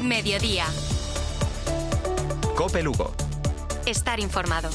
Mediodía. COPE Lugo. Estar informado.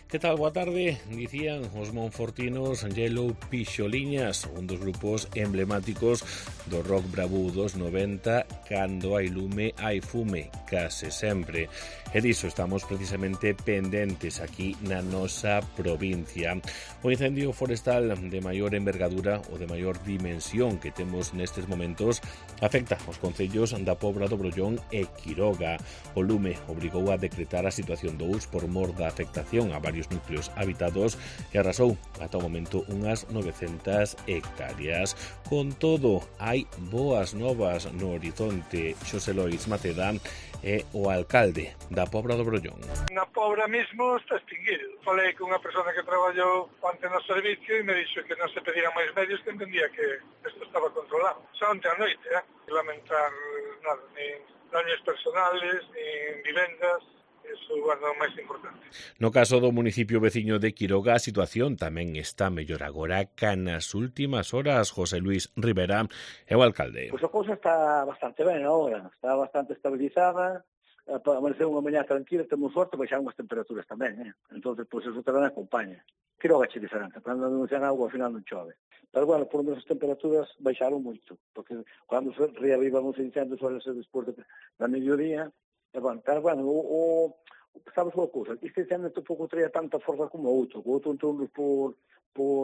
Que tal? Boa tarde. Dicían os monfortinos Yellow Pixoliñas, un dos grupos emblemáticos do rock bravú dos 90, cando hai lume, hai fume, case sempre. E diso estamos precisamente pendentes aquí na nosa provincia. O incendio forestal de maior envergadura ou de maior dimensión que temos nestes momentos afecta os concellos da Pobra do Brollón e Quiroga. O lume obrigou a decretar a situación 2 por mor da afectación a varios núcleos habitados e arrasou ata o momento unhas 900 hectáreas. Con todo, hai boas novas no horizonte. Xosé Lois Maceda é o alcalde da Pobra do Brollón. Na Pobra mismo está extinguido. Falei con unha persona que traballou onte no servicio e me dixo que non se pedían máis medios, que entendía que isto estaba controlado. Xa onte a noite, lamentar nada, nin daños personales, nin vivendas. Eso é o máis importante. No caso do municipio veciño de Quiroga, a situación tamén está mellor agora ca nas últimas horas. José Luis Rivera é o alcalde. Pois a cousa está bastante ben agora, está bastante estabilizada, amaneceu unha mañá tranquila, temos sorte, baixaron as temperaturas tamén, Entón, pois eso tamén acompaña. Quiroga é diferente, cando non ten agua, ao final non chove. Pero, bueno, por lo menos as temperaturas baixaron moito, porque cando se reavivan os incendios, suele ser despois da mediodía. Pero, bueno, sabes unha cousa, este incendio tampouco traía tanta forza como o outro entrou por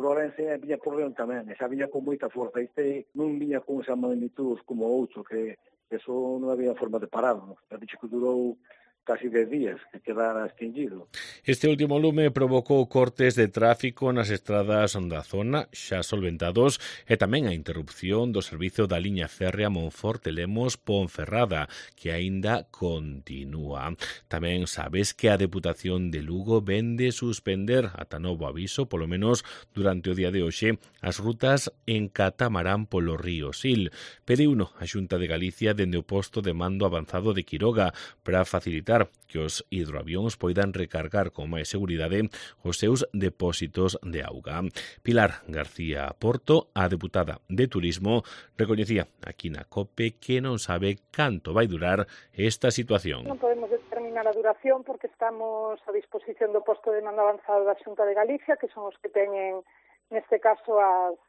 Orense e viña por León tamén, esa viña con moita forza, este non viña con esa magnitud como o outro, que eso non había forma de pararlo, ha dicho que durou casi 10 días que quedara extinguido. Este último lume provocou cortes de tráfico nas estradas da zona, xa solventados, e tamén a interrupción do servizo da liña férrea Monforte-Lemos-Ponferrada, que aínda continúa. Tamén sabes que a Deputación de Lugo vende suspender ata novo aviso, polo menos durante o día de hoxe, as rutas en catamarán polo río Sil. Pediuno a Xunta de Galicia dende o posto de mando avanzado de Quiroga para facilitar que os hidroavións poidan recargar con máis seguridade os seus depósitos de auga. Pilar García Porto, a deputada de Turismo, recoñecía aquí na COPE que non sabe canto vai durar esta situación. Non podemos determinar a duración porque estamos a disposición do posto de mando avanzado da Xunta de Galicia, que son os que teñen, neste caso, as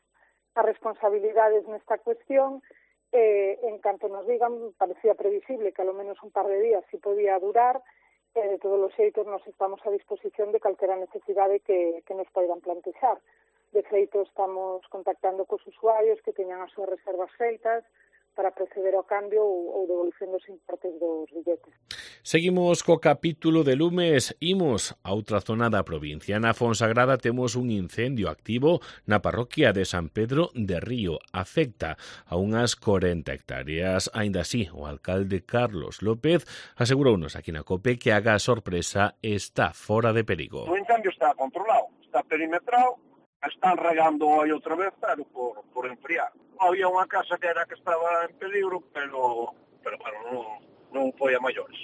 responsabilidades nesta cuestión. En canto nos digan, parecía previsible que a lo menos un par de días si podía durar, de todos os xeitos nos estamos a disposición de calquera necesidade que nos poidan plantexar. De feito, estamos contactando cos usuarios que teñan as súas reservas feitas para proceder ao cambio ou devolución dos importes dos billetes. Seguimos co capítulo de lumes, imos a outra zona da provincia. Na Fonsagrada temos un incendio activo na parroquia de San Pedro de Río. Afecta a unhas 40 hectáreas. Aínda así, o alcalde Carlos López asegurounos aquí na COPE que a gas sorpresa está fora de perigo. O incendio está controlado, está perimetrado, están rayando hoy outra vez, pero por enfriar. Había unha casa que estaba en peligro, pero bueno, non foi a maiores.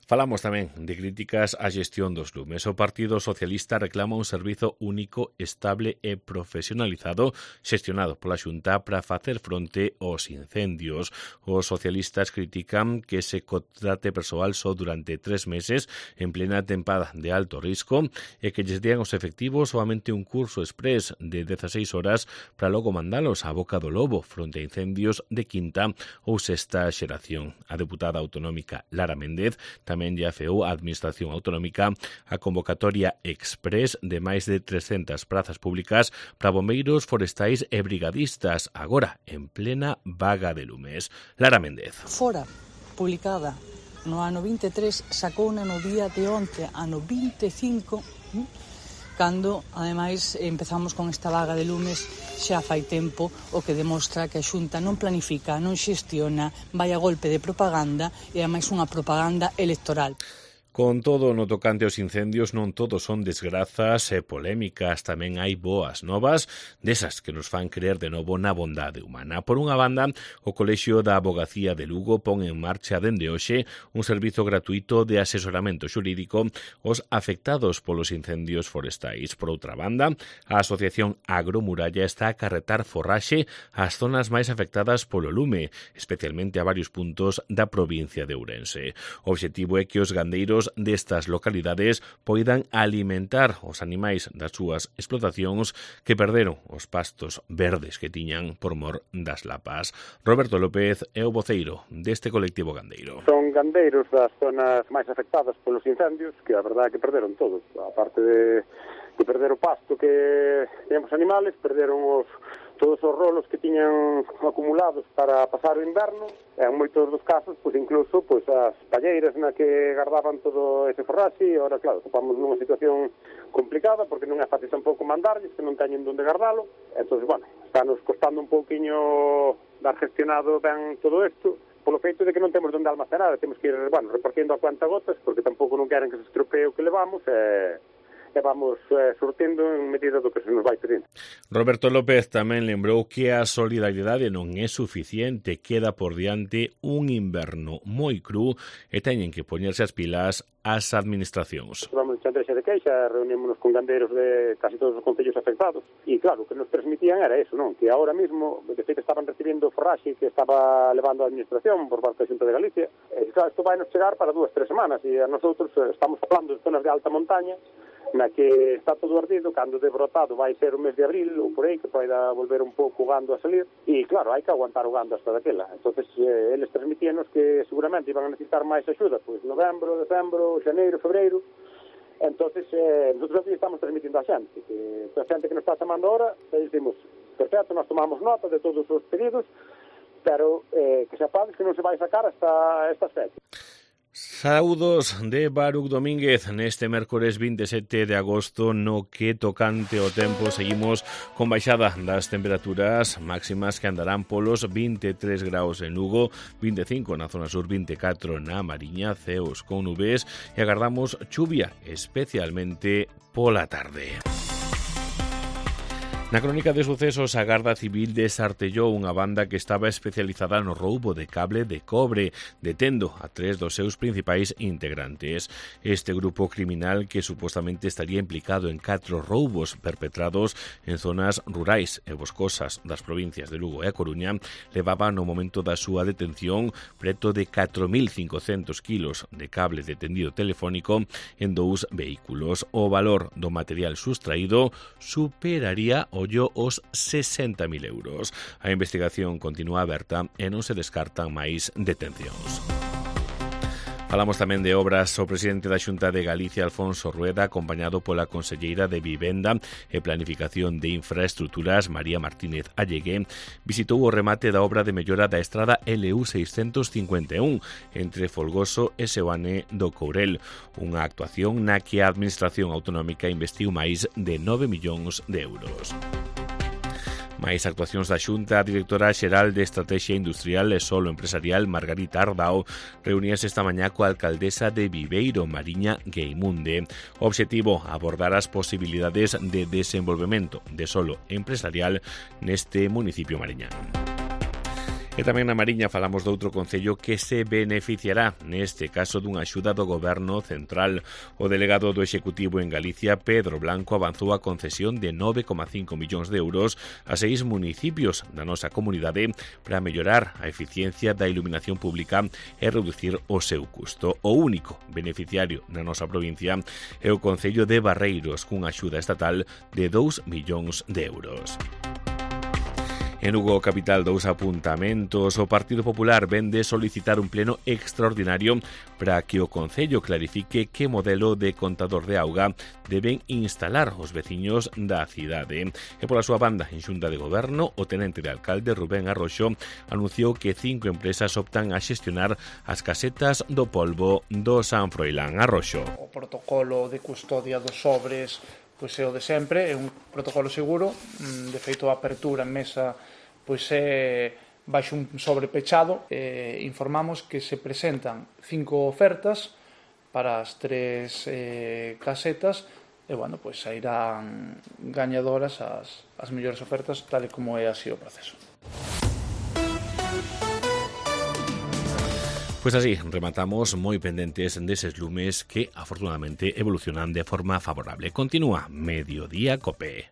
Falamos tamén de críticas á xestión dos lumes. O Partido Socialista reclama un servizo único, estable e profesionalizado xestionado pola Xunta para facer fronte aos incendios. Os socialistas critican que se contrate persoal só durante 3 meses en plena tempada de alto risco e que lles dean os efectivos soamente un curso exprés de 16 horas para logo mandalos á boca do lobo fronte a incendios de quinta ou sexta xeración. A deputada autonómica Lara Méndez tamén lle afeou a Administración Autonómica a convocatoria exprés de máis de 300 prazas públicas para bombeiros forestais e brigadistas, agora en plena vaga de lumes. Lara Méndez. Fora publicada no ano 23, sacouna no día de onte, ano 25, cando, ademais, empezamos con esta vaga de lumes xa fai tempo, o que demostra que a Xunta non planifica, non xestiona, vai a golpe de propaganda e, ademais, unha propaganda electoral. Con todo, no tocante aos incendios, non todos son desgrazas e polémicas, tamén hai boas novas, desas que nos fan creer de novo na bondade humana. Por unha banda, o Colexio da Avogacía de Lugo pon en marcha dende hoxe un servizo gratuito de asesoramento xurídico aos afectados polos incendios forestais. Por outra banda, a Asociación Agromuralla está a carretar forraxe ás zonas máis afectadas polo lume, especialmente a varios puntos da provincia de Ourense. O obxectivo é que os gandeiros destas localidades poidan alimentar os animais das súas explotacións que perderon os pastos verdes que tiñan por mor das lapas. Roberto López é o voceiro deste colectivo gandeiro. Son gandeiros das zonas máis afectadas polos incendios, que a verdade é que perderon todos, aparte de perder o pasto que teñen os animales, perderon todos os rolos que tiñan acumulados para pasar o inverno, e en moitos dos casos, pois incluso as palleiras na que guardaban todo ese forraxe, e agora, claro, topamos nunha situación complicada, porque non é fácil tampouco mandarlles, que non teñen onde guardalo, entón, está nos costando un pouquiño dar gestionado ben todo isto, polo feito de que non temos onde almacenar, temos que ir, repartindo a cuenta gotas, porque tampouco non queren que se estropee o que levamos, e vamos surtindo en medida do que se nos vai pedindo. Roberto López tamén lembrou que a solidariedade non é suficiente, queda por diante un inverno moi cru e teñen que poñerse as pilas as administracións. Vamos a chantexe de queixa, reunímonos con gandeiros de casi todos os concellos afectados e claro, o que nos transmitían era eso, non? Que ahora mismo, de feito, estaban recibindo forraxe que estaba levando a administración por parte da Xunta de Galicia, e claro, isto vai nos chegar para 2-3 semanas e a nosotros estamos falando de zonas de alta montaña na que está todo ardido, cando de brotado vai ser o mes de abril ou por aí, que poida volver un pouco o gando a salir, e claro, hai que aguantar o gando hasta daquela. Entonces, eles transmitíanos que seguramente iban a necesitar máis axuda, pois novembro, decembro, xaneiro, febreiro. Entonces, nosotros estamos transmitindo a xente, que a xente que nos está chamando ahora, e dicimos, perfecto, nós tomamos nota de todos os pedidos, pero que sepades que non se vai sacar hasta estas fechas. Saúdos de Baruc Domínguez neste mércores 27 de agosto, no que tocante o tempo seguimos con baixada das temperaturas máximas que andarán polos 23 graus en Lugo, 25 na zona sur, 24 na Mariña, ceos con nubes e agardamos chuvia, especialmente pola tarde. Na crónica de sucesos, a Garda Civil desartellou unha banda que estaba especializada no roubo de cable de cobre, detendo a 3 dos seus principais integrantes. Este grupo criminal, que supostamente estaría implicado en 4 roubos perpetrados en zonas rurais e boscosas das provincias de Lugo e a Coruña, levaba no momento da súa detención preto de 4.500 kilos de cable de tendido telefónico en 2 vehículos. O valor do material sustraído superaría os 60.000 euros. A investigación continúa aberta e non se descartan máis detencións. Falamos tamén de obras. O presidente da Xunta de Galicia, Alfonso Rueda, acompañado pola conselleira de Vivenda e Planificación de Infraestructuras, María Martínez Allegué, visitou o remate da obra de mellora da estrada LU 651 entre Folgoso e Seoane do Courel, unha actuación na que a Administración Autonómica investiu máis de 9 millóns de euros. Máis actuacións da Xunta. A directora xeral de Estrategia Industrial e Solo Empresarial, Margarita Ardao, reuníase esta mañá coa alcaldesa de Viveiro, Mariña Gueimunde. O obxectivo, abordar as posibilidades de desenvolvemento de solo empresarial neste municipio mariñán. E tamén na Mariña falamos doutro concello que se beneficiará, neste caso, dunha axuda do Goberno central. O delegado do Executivo en Galicia, Pedro Blanco, avanzou a concesión de 9,5 millóns de euros a 6 municipios da nosa comunidade para mellorar a eficiencia da iluminación pública e reducir o seu custo. O único beneficiario na nosa provincia é o concello de Barreiros, cunha axuda estatal de 2 millóns de euros. En Lugo capital, 2 apuntamentos. O Partido Popular vende solicitar un pleno extraordinario para que o Concello clarifique que modelo de contador de auga deben instalar os veciños da cidade. E pola súa banda, en Xunta de Goberno, o tenente de alcalde Rubén Arroxo anunciou que 5 empresas optan a xestionar as casetas do polvo do San Froilán. Arroxo. O protocolo de custodia dos sobres pois é o de sempre, é un protocolo seguro. De feito, a apertura en mesa pois é baixo un sobre pechado. Informamos que se presentan 5 ofertas para as 3 casetas, e, bueno, pois sairán gañadoras as mellores ofertas, tal e como é así o proceso. Pois así, rematamos moi pendentes deses lumes que, afortunadamente, evolucionan de forma favorable. Continúa Mediodía Cope.